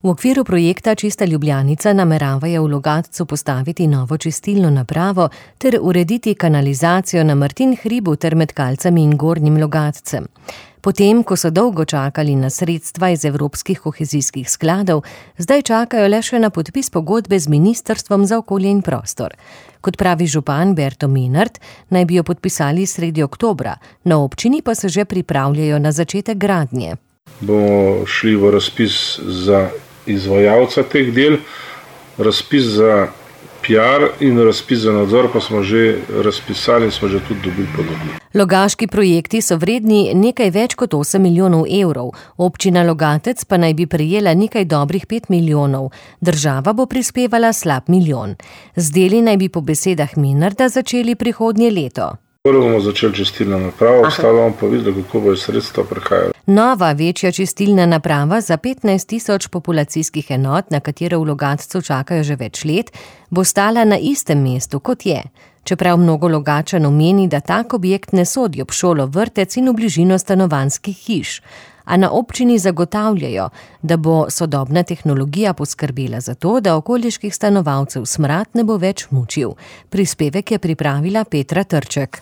V okviru projekta Čista Ljubljanica nameravajo v Logatcu postaviti novo čistilno napravo ter urediti kanalizacijo na Martin hribu ter med Kalcami in Gornjim Logatcem. Potem, ko so dolgo čakali na sredstva iz evropskih kohezijskih skladov, zdaj čakajo le še na podpis pogodbe z Ministrstvom za okolje in prostor. Kot pravi župan Berto Menart, naj bi jo podpisali sredi oktobra, na občini pa se že pripravljajo na začetek gradnje. Bomo šli v razpis za izvajalca teh del, razpis za PR in razpis za nadzor pa smo že razpisali in smo že tudi dobili ponudbo. Logaški projekti so vredni nekaj več kot 8 milijonov evrov, občina Logatec pa naj bi prejela nekaj dobrih 5 milijonov, država bo prispevala slab milijon. Z deli naj bi po besedah Menarta začeli prihodnje leto. Prvo bomo začeli čistilno napravo, ostalo bomo pa videli, kako bojo sredstva prihajala. Nova, večja čistilna naprava za 15.000 populacijskih enot, na katero v Logatcu čakajo že več let, bo stala na istem mestu, kot je. Čeprav mnogo Logatčanov meni, da tak objekt ne sodi ob šolo, vrtec in v bližino stanovanjskih hiš. A na občini zagotavljajo, da bo sodobna tehnologija poskrbela za to, da okoliških stanovalcev smrad ne bo več mučil. Prispevek je pripravila Petra Trček.